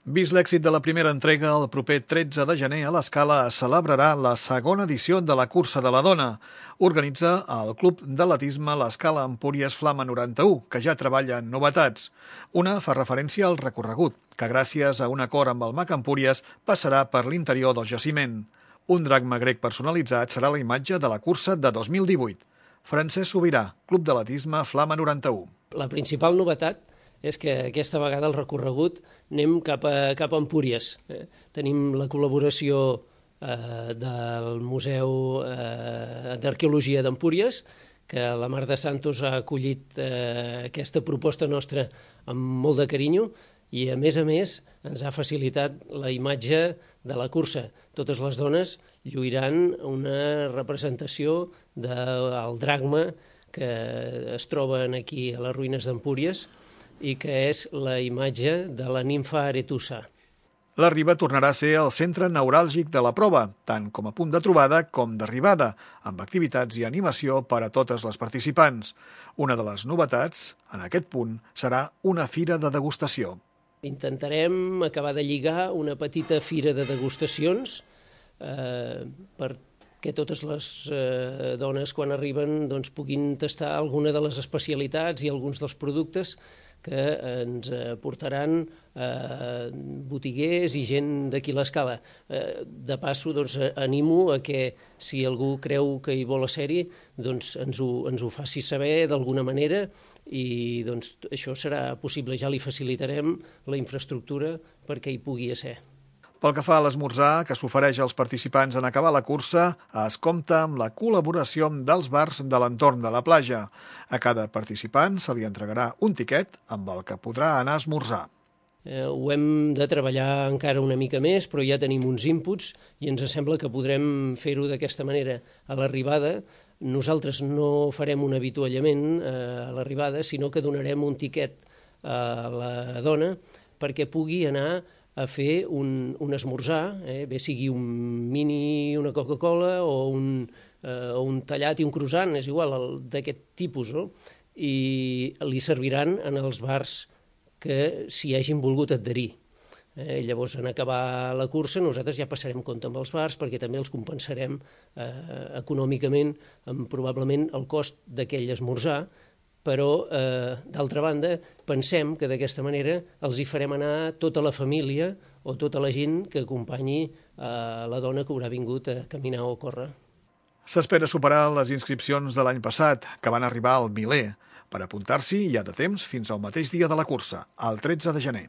Vist l'èxit de la primera entrega, el proper 13 de gener a l'Escala es celebrarà la segona edició de la Cursa de la Dona. Organitza el Club d'Atletisme l'Escala Empúries Flama 91, que ja treballa en novetats. Una fa referència al recorregut, que gràcies a un acord amb el MAC Empúries passarà per l'interior del jaciment. Un dracma grec personalitzat serà la imatge de la cursa de 2018. Francesc Sobirà, Club d'Atletisme Flama 91. La principal novetat és que aquesta vegada el recorregut anem cap a Empúries. Tenim la col·laboració del Museu d'Arqueologia d'Empúries, que la Mar de Santos ha acollit aquesta proposta nostra amb molt de carinyo i, a més, ens ha facilitat la imatge de la cursa. Totes les dones lluiran una representació del dracma que es troben aquí a les ruïnes d'Empúries i que és la imatge de la nimfa Aretusa. La Riba tornarà a ser el centre neuràlgic de la prova, tant com a punt de trobada com d'arribada, amb activitats i animació per a totes les participants. Una de les novetats, en aquest punt, serà una fira de degustació. Intentarem acabar de lligar una petita fira de degustacions perquè totes les dones, quan arriben, puguin tastar alguna de les especialitats i alguns dels productes que ens portaran botiguers i gent d'aquí a l'Escala. De passo, animo a que, si algú creu que hi vol ser-hi, ens ho faci saber d'alguna manera i això serà possible. Ja li facilitarem la infraestructura perquè hi pugui ser. Pel que fa a l'esmorzar, que s'ofereix als participants en acabar la cursa, es compta amb la col·laboració dels bars de l'entorn de la platja. A cada participant se li entregarà un tiquet amb el que podrà anar a esmorzar. Ho hem de treballar encara una mica més, però ja tenim uns inputs i ens sembla que podrem fer-ho d'aquesta manera. A l'arribada, nosaltres no farem un avituallament a l'arribada, sinó que donarem un tiquet a la dona perquè pugui anar a fer un esmorzar, bé sigui un mini, una Coca-Cola o un tallat i un croissant, és igual, d'aquest tipus, no? I li serviran en els bars que s'hi hagin volgut adherir. Llavors, en acabar la cursa, nosaltres ja passarem compte amb els bars perquè també els compensarem econòmicament amb probablement el cost d'aquell esmorzar, però, d'altra banda, pensem que d'aquesta manera els hi farem anar tota la família o tota la gent que acompanyi la dona que haurà vingut a caminar o a córrer. S'espera superar les inscripcions de l'any passat, que van arribar al miler. Per apuntar-s'hi hi ha de temps fins al mateix dia de la cursa, el 13 de gener.